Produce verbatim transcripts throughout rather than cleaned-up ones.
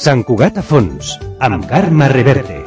Sant Cugat a fons, amb Carme Reverte.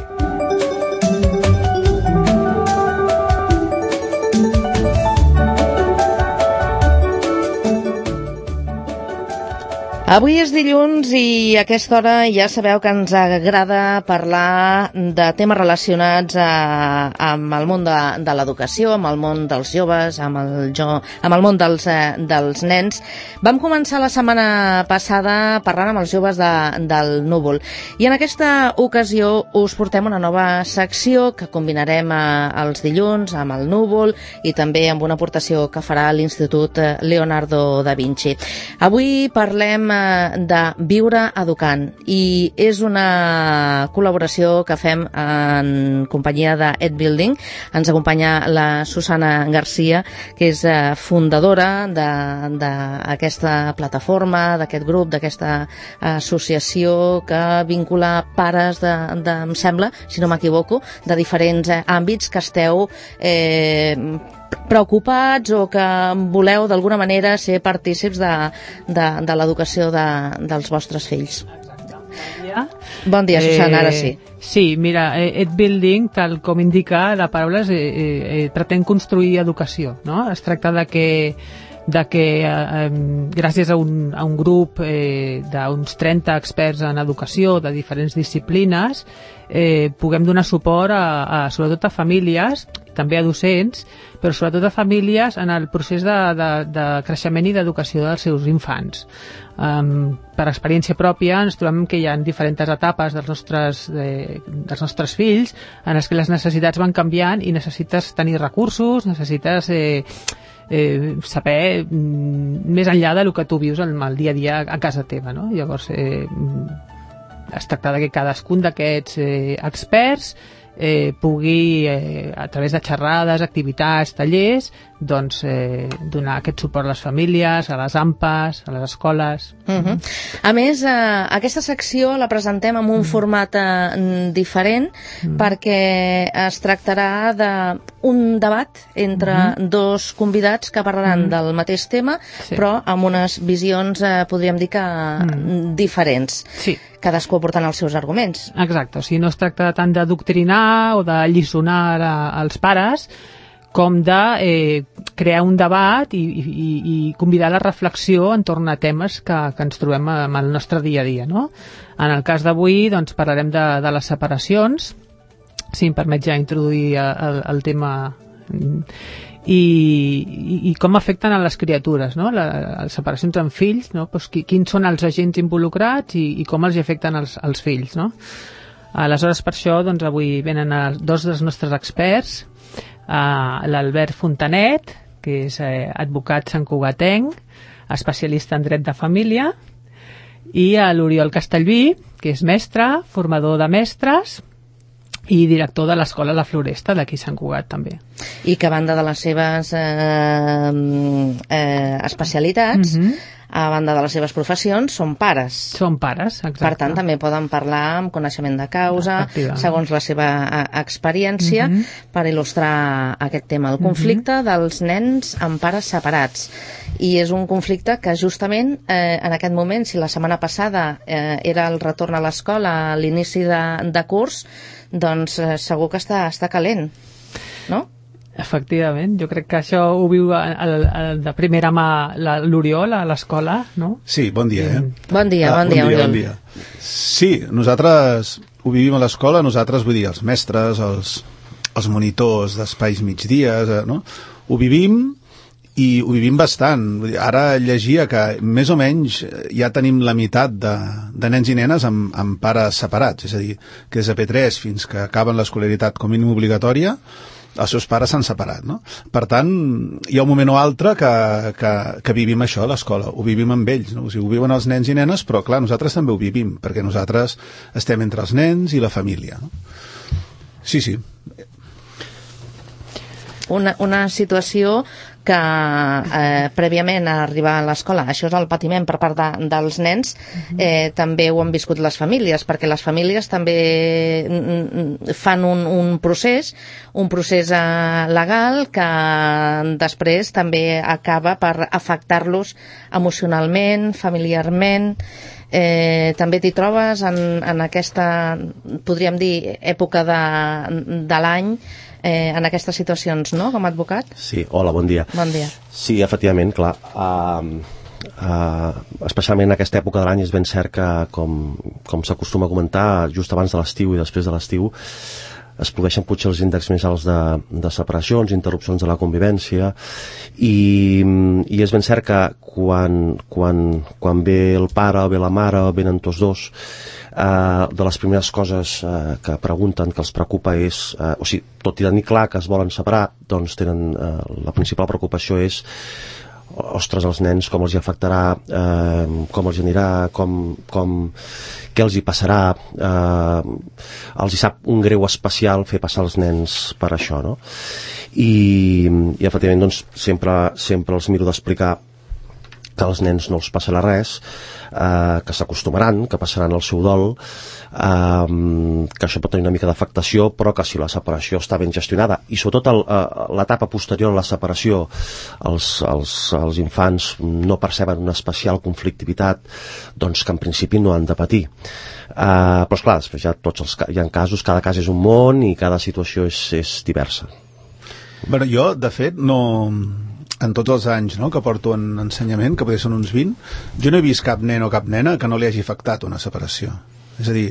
Avui és dilluns i a aquesta hora ja sabeu que ens agrada parlar de temes relacionats a, amb el món de, de l'educació, amb el món dels joves, amb el, jo, amb el món dels, eh, dels nens. Vam començar la setmana passada parlant amb els joves de, del Núvol i en aquesta ocasió us portem una nova secció que combinarem a, els dilluns amb el Núvol i també amb una aportació que farà l'Institut Leonardo da Vinci. Avui parlem de Viure Educant i és una col·laboració que fem en companyia de Ed Building. Ens acompanya la Susana Garcia, que és fundadora d'aquesta plataforma, d'aquest grup, d'aquesta associació que vincula pares de, de, em sembla, si no m'equivoco, de diferents àmbits que esteu eh, preocupats o que voleu d'alguna manera ser partícips de, de, de l'educació de, dels vostres fills. Bon dia, Susana, ara sí. Eh, sí, mira, Ed Building, tal com indica la paraula, eh, eh, pretén construir educació, no? Es tracta de que de que eh, gràcies a un, a un grup eh, d'uns trenta experts en educació de diferents disciplines eh, puguem donar suport a, a, sobretot a famílies, també a docents, però sobretot a famílies en el procés de, de, de creixement i d'educació dels seus infants. Um, per experiència pròpia ens trobem que hi ha diferents etapes dels nostres, eh, dels nostres fills en les que les necessitats van canviant i necessites tenir recursos, necessites eh, Eh, saber mm, més enllà del que tu vius el, el dia a dia a casa teva, no? Llavors eh, es tracta de que cadascun d'aquests eh, experts eh, pugui eh, a través de xerrades, activitats, tallers, doncs eh, donar aquest suport a les famílies, a les A M P As, a les escoles. Uh-huh. A més, eh, aquesta secció la presentem en un mm. format eh, diferent mm. perquè es tractarà d'un debat entre mm. dos convidats que parlaran mm. del mateix tema, sí. però amb unes visions, eh, podríem dir que mm. diferents. Sí. Cadascú aportant els seus arguments. Exacte, o sigui, no es tracta tant d'adoctrinar o de lliçonar als pares, com de eh, crear un debat i, i, i convidar la reflexió entorn a temes que, que ens trobem en el nostre dia a dia, no? En el cas d'avui doncs, parlarem de, de les separacions, si em permet ja introduir el, el tema, i, i, i com afecten a les criatures, no? La, les separacions amb fills, no? Pues, qui, quins són els agents involucrats i, i com els afecten als, als fills, no? Aleshores, per això, doncs, avui venen els, dos dels nostres experts, Uh, l'Albert Fontanet, que és eh, advocat santcugatenc, especialista en dret de família, i a l'Oriol Castellví, que és mestre, formador de mestres i director de l'Escola La Floresta d'aquí Sant Cugat també. I que a banda de les seves eh, eh, especialitats, mm-hmm. a banda de les seves professions, són pares. Són pares, exacte. Per tant, també poden parlar amb coneixement de causa, segons la seva experiència, mm-hmm. per il·lustrar aquest tema, el conflicte mm-hmm. dels nens amb pares separats. I és un conflicte que justament eh, en aquest moment, si la setmana passada eh, era el retorn a l'escola, a l'inici de, de curs, doncs eh, segur que està, està calent, no? Efectivament, jo crec que això ho viu el, el, de primera mà l'Oriol a l'escola, no? Sí, bon dia, eh? Bon dia, bon dia, Oriol. Bon dia. Sí, nosaltres ho vivim a l'escola, nosaltres, vull dir, els mestres, els, els monitors d'espais migdies, eh, no? Ho vivim i ho vivim bastant. Vull dir, ara llegia que més o menys ja tenim la meitat de, de nens i nenes amb, amb pares separats, és a dir, que des de P tres fins que acaben l'escolaritat com a mínim obligatòria, els seus pares s'han separat, no? Per tant, hi ha un moment o altre que, que, que vivim això a l'escola, ho vivim amb ells, no? O sigui, ho viuen els nens i nenes, però clar, nosaltres també ho vivim, perquè nosaltres estem entre els nens i la família, no? Sí, sí. Una, una situació que eh, prèviament a arribar a l'escola, això és el patiment per part de, dels nens, eh, també ho han viscut les famílies, perquè les famílies també fan un, un procés, un procés eh, legal que després també acaba per afectar-los emocionalment, familiarment, Eh, també t'hi trobes en, en aquesta, podríem dir, època de, de l'any, eh, en aquestes situacions, no?, com a advocat? Sí, hola, bon dia. Bon dia. Sí, efectivament, clar. Uh, uh, especialment en aquesta època de l'any és ben cert que, com, com s'acostuma a comentar, just abans de l'estiu i després de l'estiu, es produeixen potser els índexs més alts de, de separacions, interrupcions de la convivència, i, i és ben cert que quan, quan, quan ve el pare o ve la mare o venen tots dos, eh, de les primeres coses eh, que pregunten, que els preocupa és, eh, o sigui, tot i tenir clar que es volen separar, doncs tenen, eh, la principal preocupació és ostres, els nens, com els hi afectarà, eh, com els hi anirà, com, com, què els hi passarà, eh, els hi sap un greu especial fer passar els nens per això, no? I, i efectivament, doncs, sempre, sempre els miro d'explicar que als nens no els passarà res, eh, que s'acostumaran, que passaran el seu dol, eh, que això pot tenir una mica d'afectació, però que si la separació està ben gestionada, i sobretot el, eh, l'etapa posterior a la separació, els, els, els infants no perceben una especial conflictivitat, doncs que en principi no han de patir. Eh, però esclar, després ja tots els, hi ha casos, cada cas és un món i cada situació és, és diversa. Bueno, jo, de fet, no... en tots els anys, no?, que porto en ensenyament, que potser són uns vint, jo no he vist cap nen o cap nena que no li hagi afectat una separació. És a dir,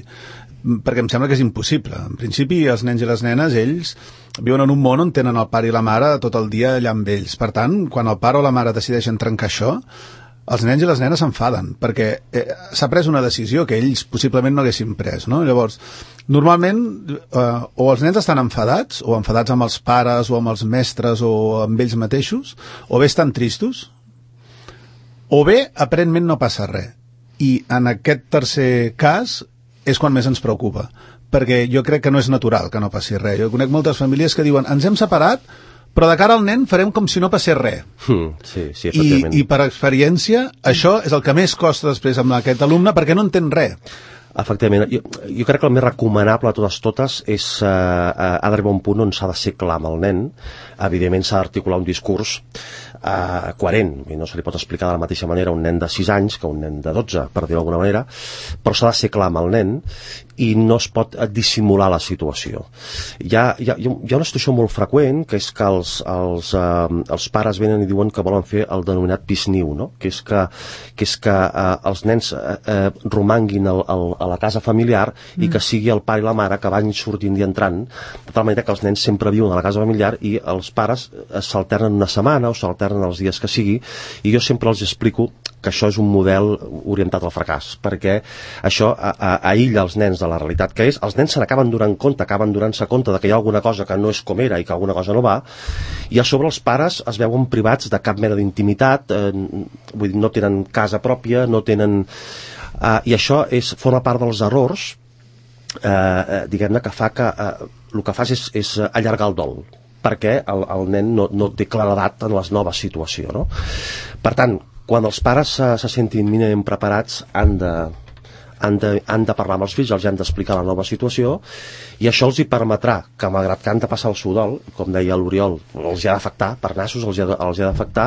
perquè em sembla que és impossible. En principi, els nens i les nenes, ells viuen en un món on tenen el pare i la mare tot el dia allà amb ells. Per tant, quan el pare o la mare decideixen trencar això, els nens i les nenes s'enfaden, perquè eh, s'ha pres una decisió que ells possiblement no haguessin pres, no? Llavors, normalment, eh, o els nens estan enfadats, o enfadats amb els pares, o amb els mestres, o amb ells mateixos, o bé estan tristos, o bé, aparentment, no passa res. I en aquest tercer cas és quan més ens preocupa, perquè jo crec que no és natural que no passi res. Jo conec moltes famílies que diuen, ens hem separat, però de cara al nen farem com si no passés res. Mm, sí, sí, I, I per experiència, això és el que més costa després amb aquest alumne, perquè no entén res. Efectivament, jo, jo crec que el més recomanable de totes totes és eh, ha d'arribar a un punt on s'ha de ser clar amb el nen. Evidentment s'ha d'articular un discurs eh, coherent, i no se li pot explicar de la mateixa manera a un nen de sis anys que a un nen de dotze, per dir-ho d'alguna manera, però s'ha de ser clar amb el nen i no es pot dissimular la situació. Hi ha, hi ha, hi ha una situació molt freqüent, que és que els, els, eh, els pares venen i diuen que volen fer el denominat pisniu, no? Que és que, que, és que eh, els nens eh, eh, romanguin el, el, a la casa familiar mm. i que sigui el pare i la mare que van sortint i entrant, de tal manera que els nens sempre viuen a la casa familiar i els pares s'alternen una setmana o s'alternen els dies que sigui, i jo sempre els explico que això és un model orientat al fracàs, perquè això a, a, aïlla els nens de la realitat que és. Els nens se n'acaben donant compte, acaben donant-se compte de que hi ha alguna cosa que no és com era i que alguna cosa no va, i a sobre els pares es veuen privats de cap mena d'intimitat, eh, vull dir, no tenen casa pròpia, no tenen... Eh, i això és, forma part dels errors, eh, diguem-ne, que fa que eh, el que fas és, és allargar el dol, perquè el, el nen no, no té claredat en les noves situacions, no? Per tant, quan els pares se, se sentin mínimament preparats, han de, han, de, han de parlar amb els fills, els han d'explicar la nova situació, i això els hi permetrà que, malgrat que han de passar el seu dol, com deia l'Oriol, els hi ha d'afectar, per nassos els hi ha, els hi ha d'afectar,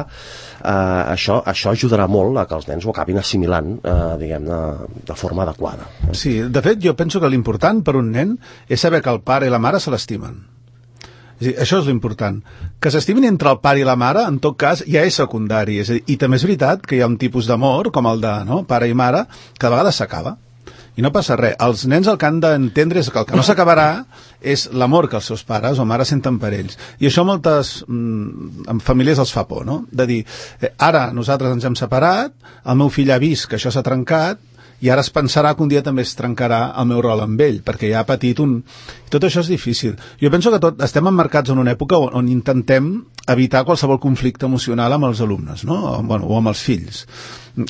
eh, això, això ajudarà molt a que els nens ho acabin assimilant, eh, diguem-ne, de forma adequada. Sí, de fet, jo penso que l'important per un nen és saber que el pare i la mare se l'estimen. És dir, això és l'important. Que s'estimin entre el pare i la mare, en tot cas, ja és secundari. És a dir, i també és veritat que hi ha un tipus d'amor, com el de no, pare i mare, que de vegades s'acaba. I no passa res. Els nens el que han d'entendre és que el que no s'acabarà és l'amor que els seus pares o mares senten per ells. I això moltes mm, en famílies els fa por, no? De dir, eh, ara nosaltres ens hem separat, el meu fill ha vist que això s'ha trencat, i ara es pensarà que un dia també es trencarà el meu rol amb ell, perquè ja ha patit un... Tot això és difícil. Jo penso que tot, estem emmarcats en una època on, on intentem evitar qualsevol conflicte emocional amb els alumnes, no? O, bueno, o amb els fills.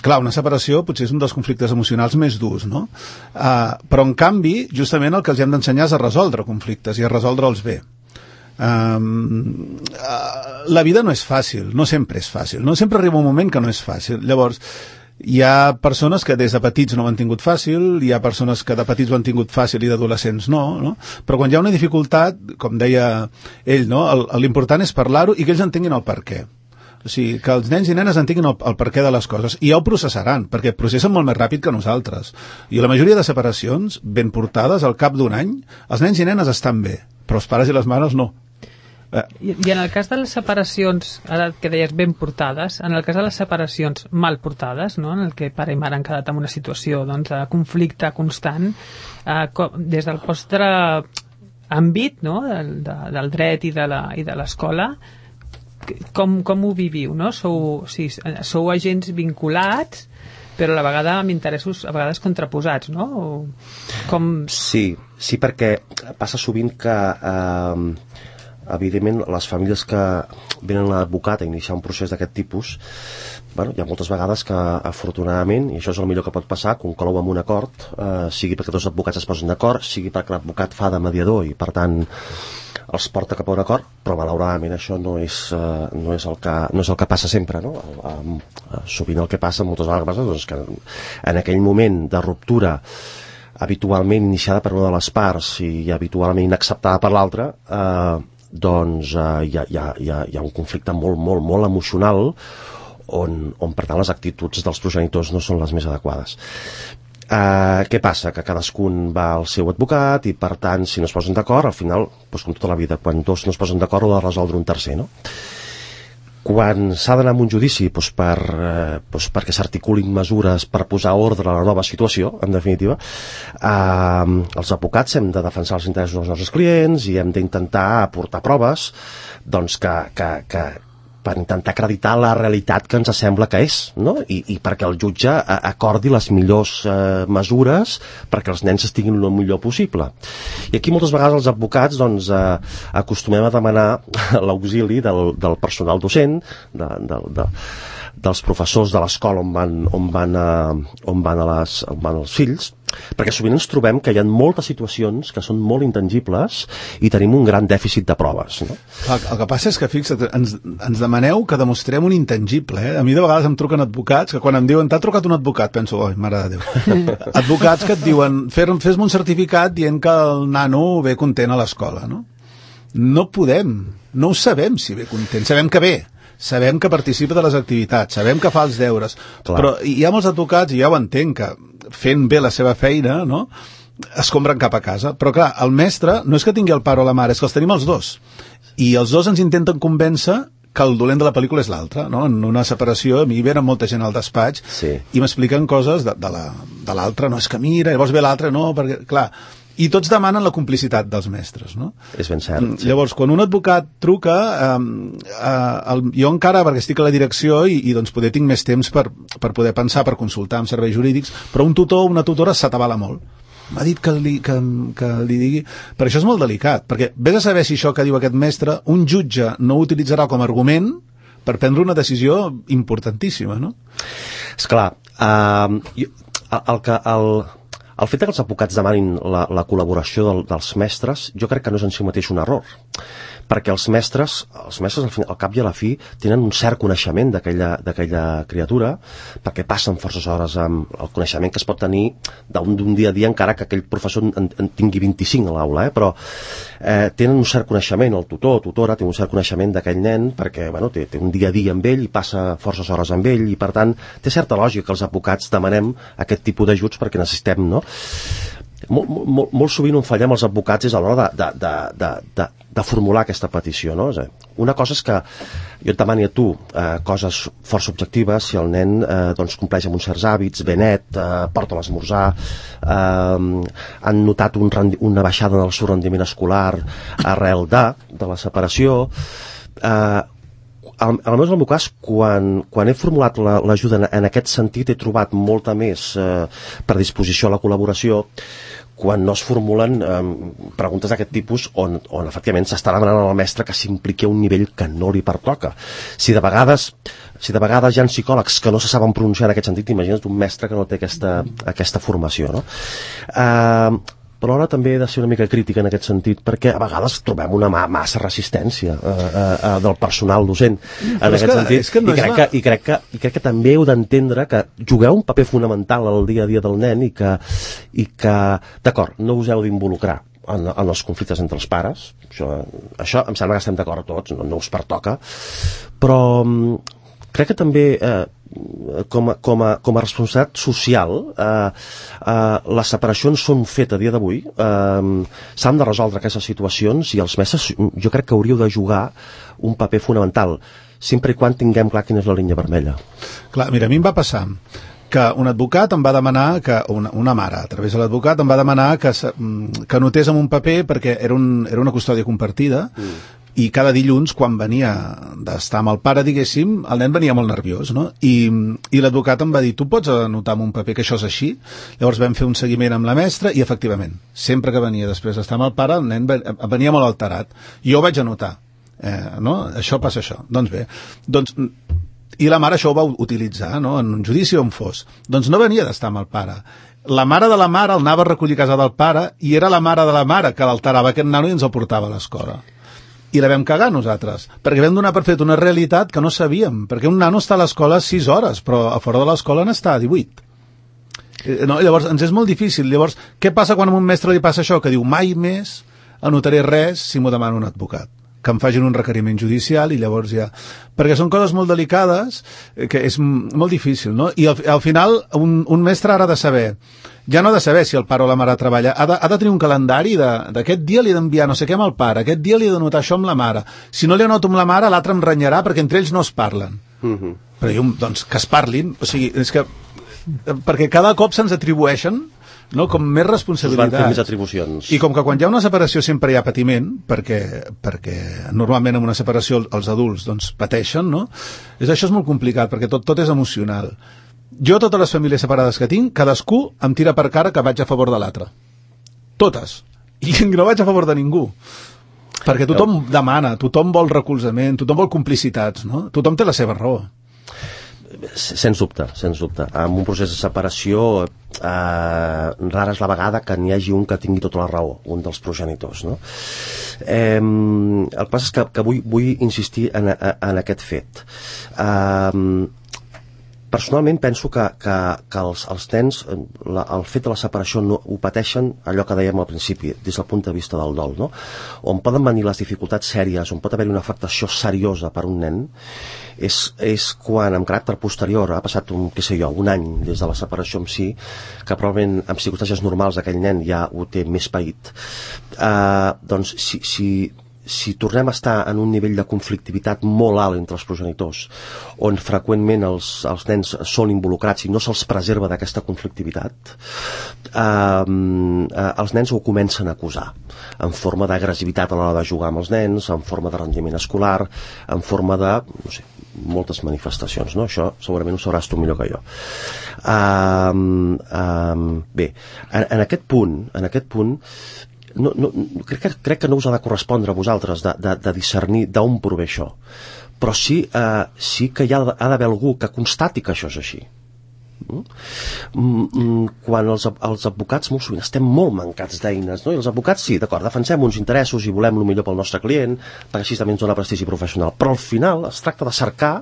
Clar, una separació potser és un dels conflictes emocionals més durs, no? Uh, però, en canvi, justament el que els hem d'ensenyar és a resoldre conflictes i a resoldre'ls bé. Um, uh, la vida no és fàcil, no sempre és fàcil, no sempre arriba un moment que no és fàcil. Llavors, hi ha persones que des de petits no ho han tingut fàcil, hi ha persones que de petits ho han tingut fàcil i d'adolescents no, no? Però quan hi ha una dificultat, com deia ell, no? L'important és parlar-ho i que ells entenguin el per què. O sigui, que els nens i nenes entenguin el, el perquè de les coses i ja ho processaran, perquè processen molt més ràpid que nosaltres. I la majoria de separacions ben portades al cap d'un any, els nens i nenes estan bé, però els pares i les mares no. Eh. I, I en el cas de les separacions, ara que deies ben portades, en el cas de les separacions mal portades, no? En el que pare i mare han quedat en una situació doncs, de conflicte constant, eh, com, des del vostre àmbit, no? del, de, del dret i de la, i de l'escola, com, com ho viviu, no? Sou, sí, sou agents vinculats, però a la vegada amb interessos a vegades contraposats, no? O com... Sí, sí, perquè passa sovint que eh, evidentment les famílies que venen a l'advocat a iniciar un procés d'aquest tipus, bueno, hi ha moltes vegades que afortunadament, i això és el millor que pot passar, conclou amb un acord, eh, sigui perquè dos advocats es posen d'acord, sigui perquè l'advocat fa de mediador i per tant els porta cap a un acord, però malauradament això no és, eh, no és, el, que, no és el que passa sempre, no? Eh, eh, sovint el que passa moltes vegades doncs, que en aquell moment de ruptura habitualment iniciada per una de les parts i habitualment inacceptada per l'altra, eh, doncs eh, hi, ha, hi, ha, hi, ha, hi ha un conflicte molt, molt, molt emocional on, on per tant les actituds dels progenitors no són les més adequades. Uh, què passa? Que cadascun va al seu advocat i per tant si no es posen d'acord al final, doncs, com tota la vida, quan dos no es posen d'acord ho ha de resoldre un tercer, no? Quan s'ha d'anar a un judici doncs per, eh, doncs perquè s'articulin mesures per posar ordre a la nova situació, en definitiva, eh, els advocats hem de defensar els interessos dels nostres clients i hem d'intentar aportar proves doncs, que, que, que, per intentar acreditar la realitat que ens sembla que és, no? I, i perquè el jutge acordi les millors eh, mesures perquè els nens estiguin el millor possible. I aquí moltes vegades els advocats doncs, eh, acostumem a demanar l'auxili del, del personal docent, de, de, de, dels professors de l'escola on van, on van, a, on van, a les, on van els fills, perquè sovint ens trobem que hi ha moltes situacions que són molt intangibles i tenim un gran dèficit de proves, no? El, el que passa és que, fixa't, ens, ens demaneu que demostrem un intangible, eh? A mi de vegades em truquen advocats que quan em diuen t'ha trucat un advocat, penso, oi, mare de Déu. Advocats que et diuen fes-me un certificat dient que el nano ve content a l'escola, no? No podem, no ho sabem si ve content, sabem que ve, sabem que participa de les activitats, sabem que fa els deures, clar. Però hi ha molts advocats, i ja ho entenc, que fent bé la seva feina, no?, es compren cap a casa. Però clar, el mestre no és que tingui el pare o la mare, és que els tenim els dos. I els dos ens intenten convèncer que el dolent de la pel·lícula és l'altre, no? En una separació, a mi venen molta gent al despatx sí. I m'expliquen coses de, de l'altre, no, és que mira, llavors ve l'altre, no, perquè, clar... I tots demanen la complicitat dels mestres, no? És ben cert. Sí. Llavors, quan un advocat truca, eh, eh, el, jo encara, perquè estic a la direcció i, i doncs poder tinc més temps per, per poder pensar, per consultar amb serveis jurídics, però un tutor o una tutora s'atabala molt. M'ha dit que li, que, que li digui... Per això és molt delicat, perquè vés a saber si això que diu aquest mestre, un jutge no ho utilitzarà com a argument per prendre una decisió importantíssima, no? Esclar, uh, jo, el, el que... El... El fet que els advocats demanin la, la col·laboració del, dels mestres, jo crec que no és en si mateix un error, perquè els mestres, els mestres al, final, al cap i a la fi tenen un cert coneixement d'aquella criatura, perquè passen forces hores amb el coneixement que es pot tenir d'un dia a dia, encara que aquell professor en, en tingui vint-i-cinc a l'aula, eh? Però eh, tenen un cert coneixement, el tutor o tutora té un cert coneixement d'aquell nen, perquè bueno, té, té un dia a dia amb ell i passa forces hores amb ell, i per tant té certa lògica que els advocats demanem aquest tipus d'ajuts perquè necessitem, no? Molt, molt, molt sovint on fallem els advocats és a l'hora de, de, de, de, de, de formular aquesta petició, no? Una cosa és que jo et demani a tu eh, coses força objectives, si el nen eh, doncs compleix amb uns certs hàbits, ve net, eh, porta l'esmorzar, eh, han notat un rendi, una baixada en el seu rendiment escolar arrel de, de la separació. Eh, Al, al meu cas, quan, quan he formulat l'ajuda la, en, en aquest sentit, he trobat molta més eh, predisposició a la col·laboració quan no es formulen eh, preguntes d'aquest tipus on, on efectivament s'està demanant al mestre que s'impliqui a un nivell que no li pertoca. Si de vegades si de vegades hi ha psicòlegs que no se saben pronunciar en aquest sentit, imagina't un mestre que no té aquesta, aquesta formació, no? Eh, però ara també he de ser una mica crítica en aquest sentit, perquè a vegades trobem una ma massa resistència eh, eh, del personal docent en aquest que, sentit, que no I, crec que, i, crec que, i crec que també heu d'entendre que jugueu un paper fonamental al dia a dia del nen i que, i que d'acord, no us heu d'involucrar en, en els conflictes entre els pares. Això, això em sembla que estem d'acord tots, no, no us pertoca, però crec que també eh, com, a, com, a, com a responsabilitat social eh, eh, les separacions són un fet a dia d'avui, eh, s'han de resoldre aquestes situacions i els mestres jo crec que hauríeu de jugar un paper fonamental, sempre i quan tinguem clar quina és la línia vermella. Clar, mira, a mi em va passar que un advocat em va demanar, que una, una mare, a través de l'advocat, em va demanar que, que anotés en un paper, perquè era, un, era una custòdia compartida, mm. i cada dilluns, quan venia d'estar amb el pare, diguéssim, el nen venia molt nerviós, no? I, i l'advocat em va dir, tu pots anotar en un paper que això és així? Llavors vam fer un seguiment amb la mestra, i efectivament, sempre que venia després d'estar amb el pare, el nen venia molt alterat. I jo ho vaig anotar. Eh, no? Això passa això. Doncs bé, doncs... I la mare això ho va utilitzar, no? En un judici on fos. Doncs no venia d'estar amb el pare. La mare de la mare el anava a recollir a casa del pare i era la mare de la mare que l'alterava aquest nano i ens el portava a l'escola. I la vam cagar nosaltres, perquè vam donar per fet una realitat que no sabíem, perquè un nano està a l'escola sis hores, però a fora de l'escola n'està a divuit. No? Llavors ens és molt difícil. Llavors, què passa quan a un mestre li passa això? Que diu, mai més anotaré res si m'ho demana un advocat, que em facin un requeriment judicial i llavors ja... Perquè són coses molt delicades, que és molt difícil, no? I al, al final un, un mestre ha de saber, ja no ha de saber si el pare o la mare treballa, ha de, ha de tenir un calendari d'aquest dia li he d'enviar no sé què amb el pare, aquest dia li he d'anotar això amb la mare. Si no li anoto amb la mare, l'altre em renyarà perquè entre ells no es parlen. Uh-huh. Però jo, doncs, que es parlin, o sigui, és que... Perquè cada cop se'ns atribueixen, no, com més responsabilitats. Més atribucions. I com que quan hi ha una separació sempre hi ha patiment, perquè, perquè normalment en una separació els adults doncs, pateixen, no? És, això és molt complicat, perquè tot, tot és emocional. Jo, totes les famílies separades que tinc, cadascú em tira per cara que vaig a favor de l'altre. Totes. I no vaig a favor de ningú. Perquè tothom demana, tothom vol recolzament, tothom vol complicitats, no? Tothom té la seva raó. Sens dubte, sens dubte. En un procés de separació eh, rara és la vegada que n'hi hagi un que tingui tota la raó, un dels progenitors, no? Eh, el que passa és que, que vull, vull insistir en, en aquest fet. Eh, personalment penso que, que, que els, els nens la, el fet de la separació no, ho pateixen allò que dèiem al principi, des del punt de vista del dol, no? On poden venir les dificultats sèries, on pot haver-hi una afectació seriosa per un nen, és, és quan amb caràcter posterior ha passat un, què sé jo, un any des de la separació en si, que probablement en circumstàncies normals aquell nen ja ho té més paït. Eh, doncs si, si si tornem a estar en un nivell de conflictivitat molt alt entre els progenitors, on freqüentment els, els nens són involucrats i no se'ls preserva d'aquesta conflictivitat, eh, eh, els nens ho comencen a acusar en forma d'agressivitat a l'hora de jugar amb els nens, en forma de rendiment escolar, en forma de, no sé, moltes manifestacions, no? Això segurament ho sabràs tu millor que jo. Um, um, bé, en, en aquest punt, en aquest punt, No, no, crec, que, crec que no us ha de correspondre a vosaltres de, de, de discernir d'on prové això, però sí, eh, sí que hi ha, ha d'haver algú que constati que això és així. Mm? Quan els, els advocats molt sovint estem molt mancats d'eines, no? I els advocats sí, d'acord, defensem uns interessos i volem el millor pel nostre client, perquè així també ens dona prestigi professional, però al final es tracta de cercar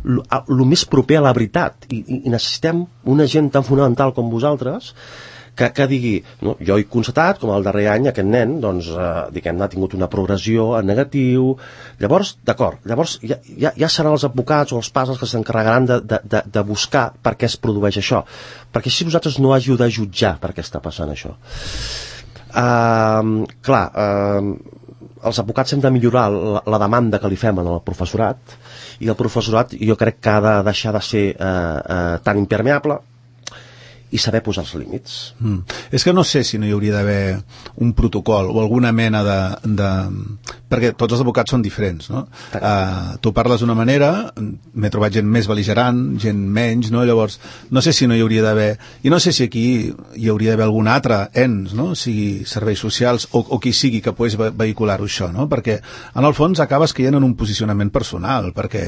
el més proper a la veritat i, i, i necessitem una gent tan fonamental com vosaltres que, que digui, no, jo he constatat com el darrer any aquest nen doncs, eh, diguem-ne, ha tingut una progressió en negatiu, llavors, d'acord, llavors ja, ja, ja seran els advocats o els pares els que s'encarregaran de, de, de, de buscar per què es produeix això, perquè si vosaltres no hàgiu de jutjar per què està passant això. Uh, clar, uh, els advocats hem de millorar la, la demanda que li fem al professorat, i el professorat jo crec que ha de deixar de ser uh, uh, tan impermeable i saber posar els límits. Mm. És que no sé si no hi hauria d'haver un protocol o alguna mena de... de... perquè tots els advocats són diferents, no? Uh, tu parles d'una manera, m'he trobat gent més bel·ligerant, gent menys, no? Llavors, no sé si no hi hauria d'haver... I no sé si aquí hi hauria d'haver algun altre ens, no? Sigui serveis socials o, o qui sigui que pogués vehicular-ho això, no? Perquè, en el fons, acabes caient en un posicionament personal, perquè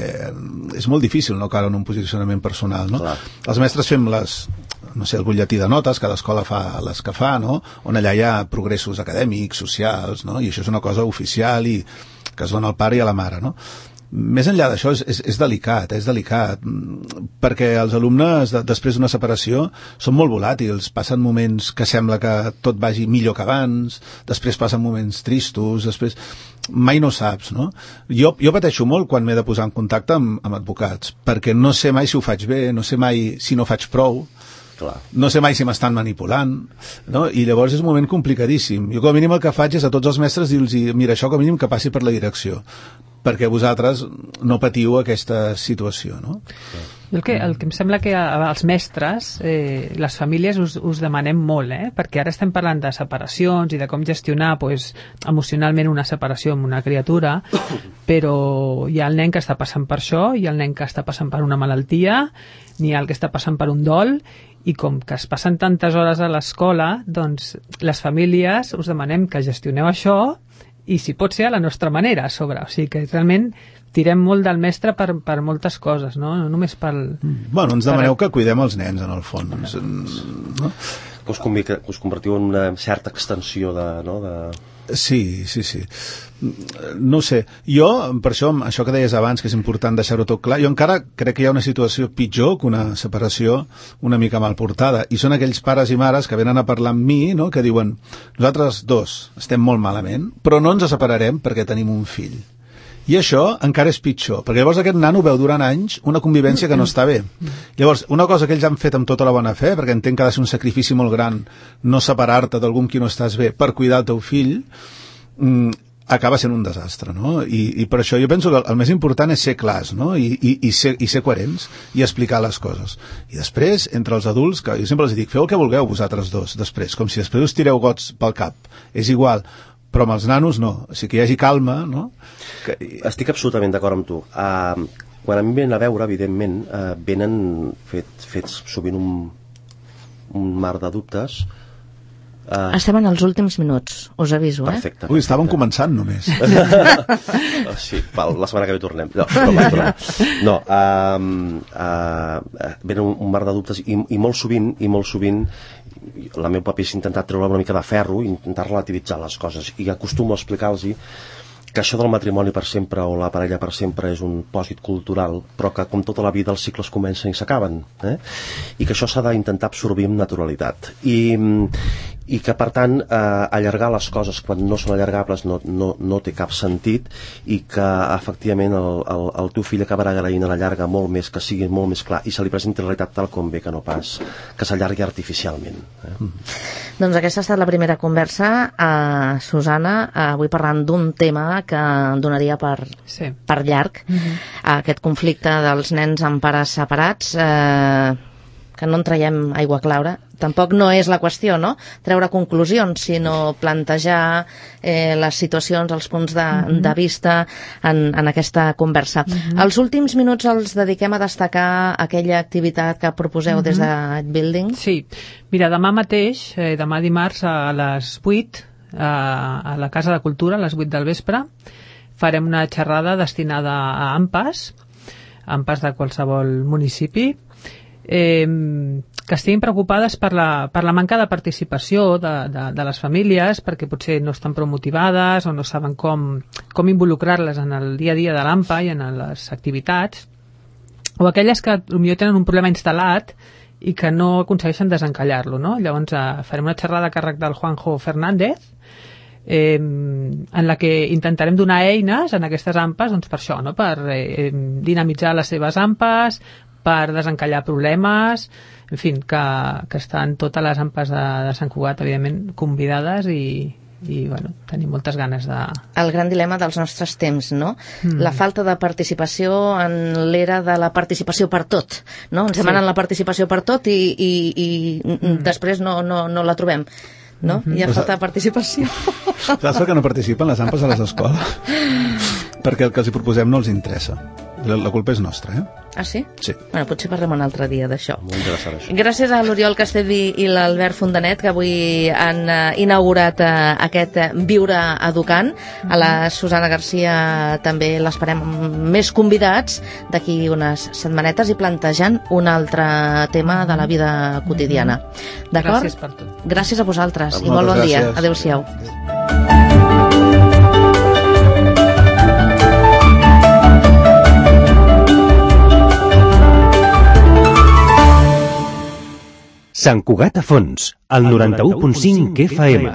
és molt difícil no caure en un posicionament personal, no? Clar. Els mestres fem les... no sé, el butlletí de notes, cada escola fa les que fa, no? On allà hi ha progressos acadèmics, socials, no? I això és una cosa oficial i que es dona al pare i a la mare, no? més enllà d'això és, és, és delicat, és delicat, perquè els alumnes de, després d'una separació són molt volàtils, passen moments que sembla que tot vagi millor que abans, després passen moments tristos, després mai no saps, no? Jo, jo pateixo molt quan m'he de posar en contacte amb, amb advocats, perquè no sé mai si ho faig bé, no sé mai si no faig prou, clar. No sé mai si m'estan manipulant, no? I llavors és un moment complicadíssim. Jo com a mínim el que faig és a tots els mestres dir-los, mira, això com a mínim que passi per la direcció, perquè vosaltres no patiu aquesta situació, no? El que, el que em sembla que als mestres, eh, les famílies us, us demanem molt, eh? Perquè ara estem parlant de separacions i de com gestionar pues, emocionalment una separació amb una criatura, però hi ha el nen que està passant per això, hi ha el nen que està passant per una malaltia, n'hi ha el que està passant per un dol, i com que es passen tantes hores a l'escola, doncs les famílies us demanem que gestioneu això i si pot ser a la nostra manera a sobre, o sigui que realment tirem molt del mestre per, per moltes coses, no? No només pel... Bueno, ens demaneu per... que cuidem els nens en el fons, no? Que us, convic, que us convertiu en una certa extensió de... No? de... Sí, sí, sí. No ho sé. Jo, per això, això que deies abans, que és important deixar-ho tot clar, jo encara crec que hi ha una situació pitjor que una separació una mica mal portada. I són aquells pares i mares que venen a parlar amb mi, no?, que diuen, nosaltres dos estem molt malament, però no ens separarem perquè tenim un fill. I això encara és pitjor, perquè llavors aquest nano veu durant anys una convivència que no està bé. Llavors, una cosa que ells han fet amb tota la bona fe, perquè entenc que ha de ser un sacrifici molt gran no separar-te d'algú amb qui no estàs bé per cuidar el teu fill, mmm, acaba sent un desastre, no? I, i per això jo penso que el més important és ser clars, no? I, i, i, ser, i ser coherents i explicar les coses. I després, entre els adults, que jo sempre els dic, feu el que vulgueu vosaltres dos, després, com si després us tireu gots pel cap. És igual, però amb els nanos no, o sigui que hi hagi calma, no? Que... Estic absolutament d'acord amb tu. Uh, quan a mi venen a veure, evidentment, uh, venen fet, fets sovint un, un mar de dubtes. Uh... Estem en els últims minuts, us aviso, eh? Perfecte. Ui, estàvem començant només. Oh, sí, val, la setmana que ve tornem. No, no, no uh, uh, venen un, un mar de dubtes i, i molt sovint, i molt sovint la meu paper és intentar treure una mica de ferro i intentar relativitzar les coses i acostumo a explicar-los que això del matrimoni per sempre o la parella per sempre és un pòsit cultural, però que com tota la vida els cicles comencen i s'acaben, eh? I que això s'ha d'intentar absorbir amb naturalitat i, i que per tant eh, allargar les coses quan no són allargables no, no, no té cap sentit i que efectivament el, el, el teu fill acabarà agraint a la llarga molt més, que sigui molt més clar i se li presenti la realitat tal com ve, que no pas que s'allargui artificialment, eh? mm. Doncs aquesta ha estat la primera conversa. uh, Susana, uh, avui parlant d'un tema que donaria per, sí. per llarg, uh-huh. aquest conflicte dels nens amb pares separats, eh, que no en traiem aigua clara. Tampoc no és la qüestió, no?, treure conclusions, sinó plantejar eh, les situacions, els punts de, uh-huh. de vista en, en aquesta conversa. Uh-huh. Els últims minuts els dediquem a destacar aquella activitat que proposeu uh-huh. des de Building. Sí, mira, demà mateix, eh, demà dimarts a les vuit, a, a la Casa de Cultura, a les vuit del vespre, farem una xerrada destinada a AMPAs, AMPAs de qualsevol municipi, eh, que estiguin preocupades per la, per la manca de participació de, de, de les famílies, perquè potser no estan prou motivades o no saben com, com involucrar-les en el dia a dia de l'A M P A i en les activitats, o aquelles que potser tenen un problema instal·lat i que no aconsegueixen desencallar-lo, no? Llavors eh, farem una xerrada a càrrec del Juanjo Fernández, eh, en la que intentarem donar eines en aquestes A M P As, doncs per això, no?, per eh, dinamitzar les seves A M P As, per desencallar problemes, en fi, que, que estan totes les A M P As de, de Sant Cugat, evidentment, convidades i, i bueno, tenim moltes ganes de... El gran dilema dels nostres temps, no? Mm. La falta de participació en l'era de la participació per tot, no? Ens demanen sí. la participació per tot i, i, i mm. després no, no, no la trobem, no? Mm-hmm. Hi ha falta de participació. Saps per què no participen les A M P As a les escoles? Perquè el que els hi proposem no els interessa. La, la culpa és nostra, eh? Ah, sí? Sí. Bueno, potser parlem un altre dia d'això. Molt interessant, això. Gràcies a l'Oriol Castellví i l'Albert Fontanet, que avui han uh, inaugurat uh, aquest uh, Viure Educant. A la Susana Garcia també l'esperem més convidats d'aquí unes setmanetes i plantejant un altre tema de la vida quotidiana. D'acord? Gràcies per tot. Gràcies a vosaltres a i molt bon gràcies. dia. Adéu-siau. Adéu. Sant Cugat a Fons, al noranta-u punt cinc F M.